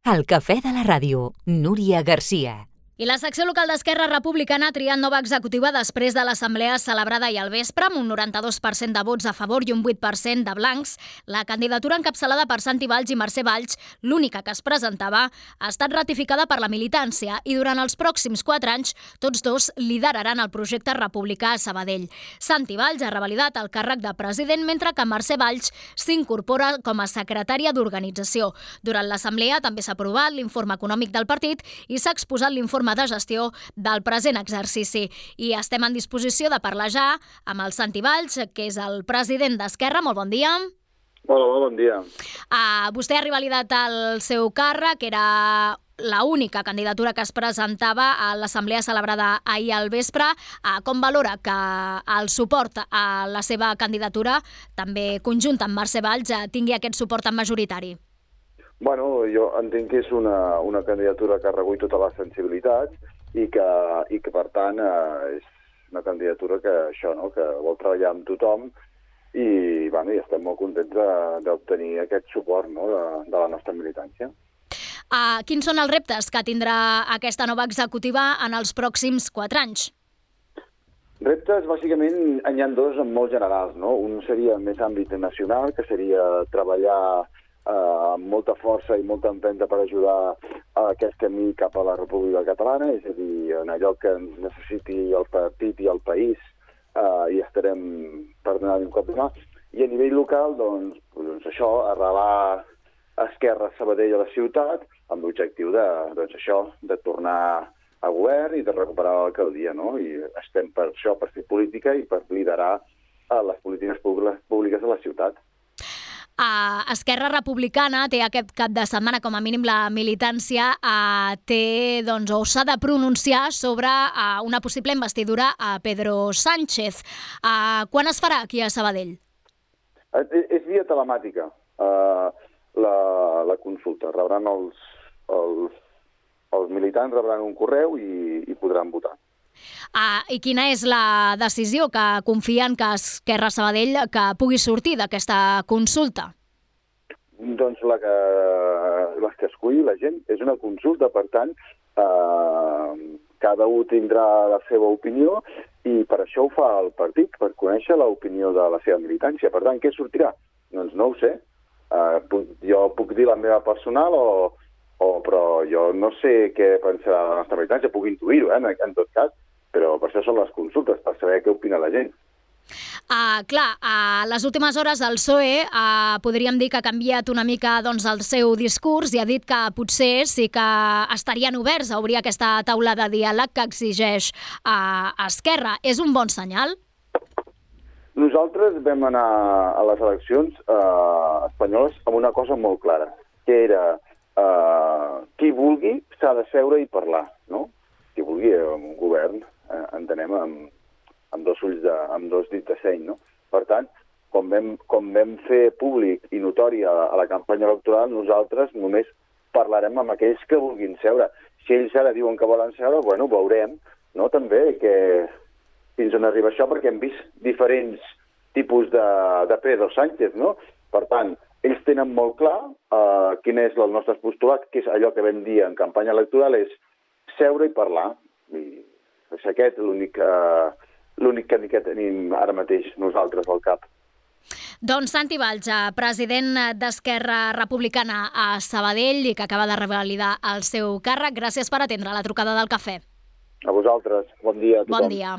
El cafè de la ràdio, Núria Garcia. I la secció local d'Esquerra Republicana ha triat nova executiva després de l'assemblea celebrada ahir al vespre, amb un 92% de vots a favor i un 8% de blancs. La candidatura encapçalada per Santi Valls i Mercè Valls, l'única que es presentava, ha estat ratificada per la militància i durant els pròxims 4 anys tots dos lideraran el projecte republicà a Sabadell. Santi Valls ha revalidat el càrrec de president, mentre que Mercè Valls s'incorpora com a secretària d'organització. Durant l'assemblea també s'ha aprovat l'informe econòmic del partit i s'ha exposat l'informe de gestió del present exercici. I estem en disposició de parlar ja amb el Santi Valls, que és el president d'Esquerra. Molt bon dia. Hola, bon dia. Vostè ha revalidat el seu càrrec, era l'única candidatura que es presentava a l'assemblea celebrada ahir al vespre. Com valora que el suport a la seva candidatura, també conjunt amb Mercè Valls, tingui aquest suport majoritari? Bueno, jo entenc que és una candidatura que recull totes les sensibilitats i que per tant, és una candidatura que que vol treballar amb tothom i estem molt contents d'obtenir aquest suport de la nostra militància. Quins són els reptes que tindrà aquesta nova executiva en els pròxims 4 anys? Reptes, bàsicament, n'hi ha dos molt generals. Un seria més àmbit nacional, que seria treballar amb molta força i molta empenta per ajudar a aquest camí cap a la República Catalana, és a dir, en allò que necessiti el partit i el país, i estarem per donar-hi un cop de mà. I a nivell local, doncs això, arrelar Esquerra Sabadell a la ciutat, amb l'objectiu de tornar a govern i de recuperar l'alcaldia, I estem per això, per fer política i per liderar les polítiques públiques de la ciutat. Esquerra Republicana té aquest cap de setmana, com a mínim la militància, o s'ha de pronunciar sobre una possible investidura a Pedro Sánchez. Quan es farà aquí a Sabadell? És via telemàtica, la consulta. Rebran els militants rebran un correu i podran votar. I quina és la decisió que confien que Esquerra Sabadell que pugui sortir d'aquesta consulta? Doncs les que esculli la gent. És una consulta, per tant, cada un tindrà la seva opinió i per això ho fa el partit, per conèixer l'opinió de la seva militància. Per tant, què sortirà? Doncs no ho sé. Jo puc dir la meva personal però jo no sé què pensarà la nostra militància. Puc intuir-ho, en tot cas. Però per això són les consultes, per saber què opina la gent. A les últimes hores el PSOE podríem dir que ha canviat una mica el seu discurs i ha dit que potser sí que estarien oberts a obrir aquesta taula de diàleg que exigeix Esquerra. És un bon senyal? Nosaltres vam anar a les eleccions espanyoles amb una cosa molt clara, que era qui vulgui s'ha de seure i parlar, no? Qui vulgui un govern, entenem, amb dos dits de seny, no? Per tant, com vam fer públic i notori a la campanya electoral, nosaltres només parlarem amb aquells que vulguin seure. Si ells ara diuen que volen seure, veurem, no? També que fins on arriba això, perquè hem vist diferents tipus de Pedro Sánchez, no? Per tant, ells tenen molt clar quin és el nostre postulat, que és allò que vam dir en campanya electoral, és seure i parlar. I és aquest l'únic camí que tenim ara mateix nosaltres al cap. Doncs Santi Valls, president d'Esquerra Republicana a Sabadell i que acaba de revalidar el seu càrrec. Gràcies per atendre la trucada del cafè. A vosaltres. Bon dia a tothom. Bon dia.